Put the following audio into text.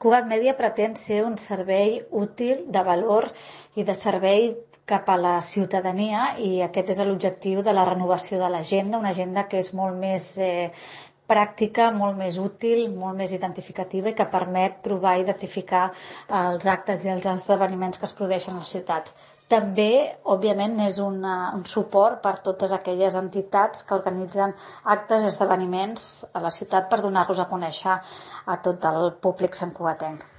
Cugat Mèdia pretén ser un servei útil, de valor i de servei cap a la ciutadania, i aquest és l'objectiu de la renovació de l'agenda, una agenda que és molt més pràctica, molt més útil, molt més identificativa i que permet trobar i identificar els actes i els esdeveniments que es produeixen a la ciutat. També, òbviament, és un suport per totes aquelles entitats que organitzen actes i esdeveniments a la ciutat per donar-los a conèixer a tot el públic santcugatenc.